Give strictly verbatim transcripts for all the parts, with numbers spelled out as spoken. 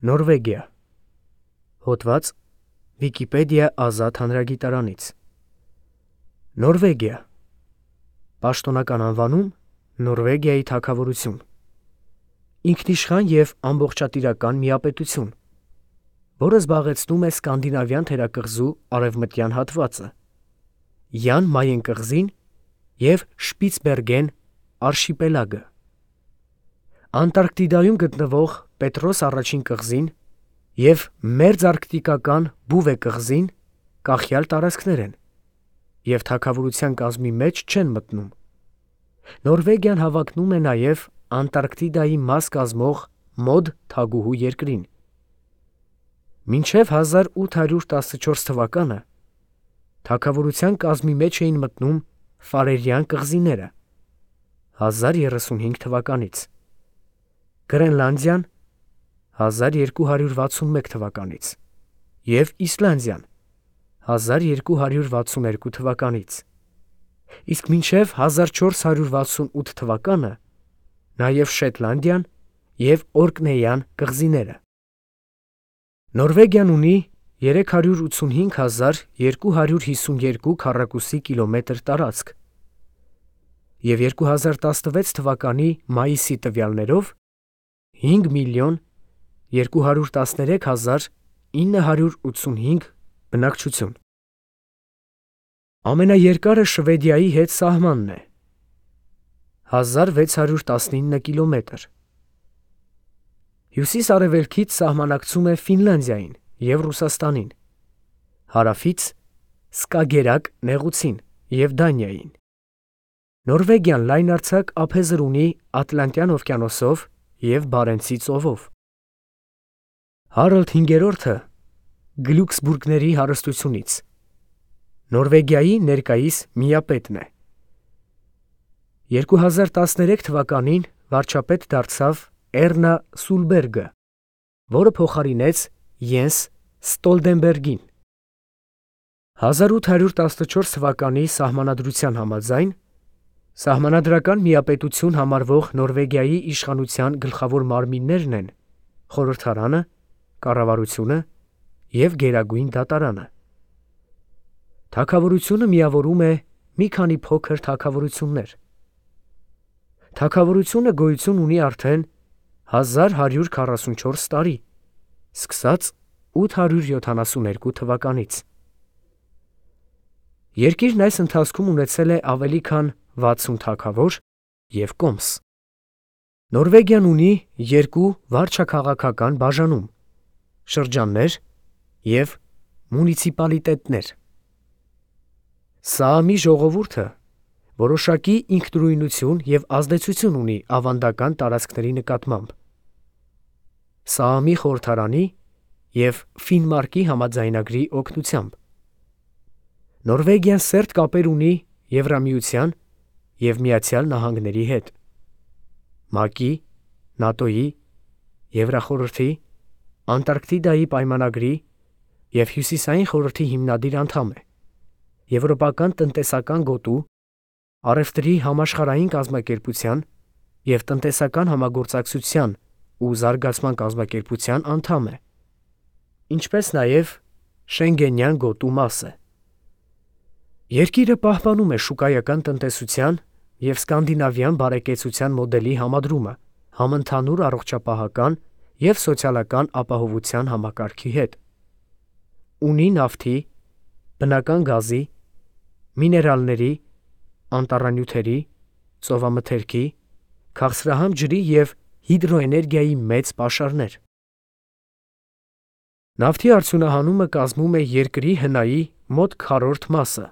Նորվեգիա։ Հոդված Վիկիպեդիա ազատ հանրագիտարանից։ Նորվեգիա։ Պաշտոնական անվանում Նորվեգիայի թագավորություն։ Ինքնիշխան և ամբողջատիրական միապետություն, որը զբաղեցնում է Սկանդինավյան թերակղզու արևմտյան հատվածը, Յան Մայեն կղզին և Շպիցբերգեն արշիպելագը, Անտարկտիդայում գտնվող Պետրոս առաջին կղզին և մերձարկտիկական Բուվե կղզին կախյալ տարածքներ են և թագավորության կազմի մեջ չեն մտնում։ Նորվեգիան հավակնում է նաև Անտարկտիդայի մաս կազմող Մոդ թագուհու երկրին։ Մինչև հազար ութ հարյուր տասնչորս թվականը թագավորության կազմի մեջ էին մտնում Ֆարերյան կղզիները (հազար երեսունհինգ թվականից), Գրենլանդիան (հազար երկու հարյուր վաթսունմեկ թվականից) և Իսլանդիան (հազար երկու հարյուր վաթսուներկու թվականից), իսկ մինչև հազար չորս հարյուր վաթսունութ թվականը նաև Շետլանդիան և Օրկնեյան կղզիները։ Նորվեգիան ունի երեք հարյուր ութսունհինգ հազար երկու հարյուր հիսունյոթ քառակուսի կիլոմետր տարածք և երկու հազար տասնվեց թվականի մայիսի տվյալներով հինգ միլիոն երկու հարյուր տասներեք հազար ինը հարյուր ութսունհինգ բնակչություն։ Ամենաերկարը Շվեդիայի հետ սահմանն է՝ հազար վեց հարյուր տասնինը կիլոմետր։ Հյուսիս֊արևելքից սահմանակցում է Ֆինլանդիային և Ռուսաստանին, հարավից՝ Սկագերակ նեղուցին և Դանիային։ Նորվեգիան լայնարձակ ափեզր ունի Ատլանտյան օվկիանոսով և Բարենցի ծովով։ Հարալդ հինգերորդը Գլյուքսբուրգների հարստությունից Նորվեգիայի ներկայիս միապետն է։ երկու հազար տասներեք թվականին վարչապետ դարձավ Էռնա Սուլբերգը, որը փոխարինեց Յենս Ստոլտենբերգին։ հազար ութ հարյուր տասնչորս թվականի սահմանադրության համաձայն սահմանադրական միապետություն համարվող Նորվեգիայի իշխանության գլխավոր մարմիններն են խորհրդարանը, կառավարությունը և գերագույն դատարանը։ Թագավորությունը միավորում է մի քանի փոքր թագավորություններ։ Թագավորությունը գոյություն ունի արդեն հազար հարյուր քառասունչորս տարի, սկսած ութ հարյուր յոթանասուներկու թվականից։ Երկիրն այս ընթացքում ունեցել է ավելի քան վաթսուն թագավոր և կոմս։ Նորվեգիան ունի երկու վարչաքաղաքական բաժանում՝ շրջաններ և մունիցիպալիտետներ։ Սաամի ժողովուրդը որոշակի ինքնուրույնություն և ազդեցություն ունի ավանդական տարածքների նկատմամբ։ Սաամի խորհրդարանի և Ֆինմարկի համաձայնագրի օգնությամբ Նորվեգիան սերտ կապեր ունի Եվրամիության և Միացյալ Նահանգների հետ, ՄԱԿ-ի, ՆԱՏՕ-ի, Եվրախորհրդի, Անտարկտիդայի պայմանագրի և Հյուսիսային խորհրդի հիմնադիր անդամ է, Եվրոպական տնտեսական գոտու, Առևտրի համաշխարհային կազմակերպության և Տնտեսական համագործակցության ու զարգացման կազմակերպության անդամ է, ինչպես նաև Շենգենյան գոտու մաս է։ Երկիրը պահպանում է շուկայական տնտեսության և սկանդինավյան բարեկեցության մոդելի համադրումը համընդհանուր առողջապահական և սոցիալական ապահովության համակարգի հետ։ Ունի նավթի, բնական գազի, միներալների, անտառանյութերի, ծովամթերքի, քաղցրահամ ջրի և հիդրոէներգիայի մեծ պաշարներ։ Նավթի արդյունահանումը կազմում է երկրի հնայի մոտ քառորդ մասը։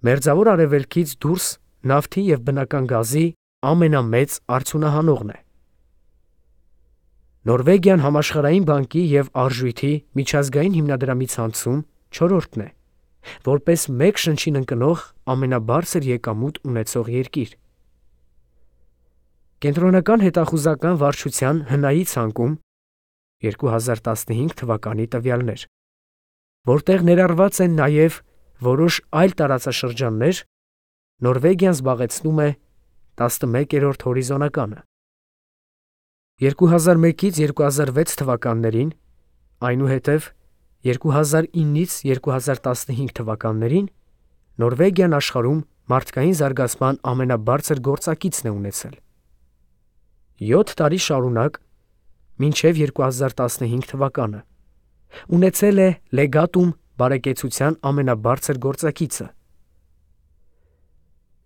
Մերձավոր Արևելքից դուրս նավթի և բնական գազի ամենամեծ արդյունահանողն է։ Նորվեգիան Համաշխարհային բանկի և Արժույթի միջազգային հիմնադրամի ցանցում չորրորդն է, որպես մեկ շնչին ընկնող ամենաբարձր եկամուտ ունեցող երկիր։ Կենտրոնական հետախուզական վարչության հնայի ցանկում երկու հազար տասնհինգ թվականի տվյալներ, որտեղ ներառված են նաև որոշ այլ տարածաշրջաններ, Նորվեգիան զբաղեցնում է տասնմեկերորդ հորիզոնականը։ երկու հազար մեկից երկու հազար վեց թվականներին, այնուհետև երկու հազար իննից երկու հազար տասնհինգ թվականներին Նորվեգիան աշխարհում մարդկային զարգացման ամենաբարձր գործակիցն է ունեցել։ յոթ տարի շարունակ, մինչև երկու հազար տասնհինգ թվականը, ունեցել է լեգատում բարեկեցության ամենաբարձր գործակիցը։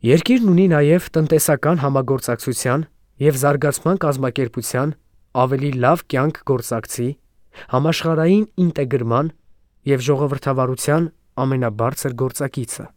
Երկիրն ունի նաև տնտեսական համագործակցության և զարգացման կազմակերպության ավելի լավ կյանք գործակցի, համաշխարհային ինտեգրման և ժողովրդավարության ամենաբարձր գործակիցը։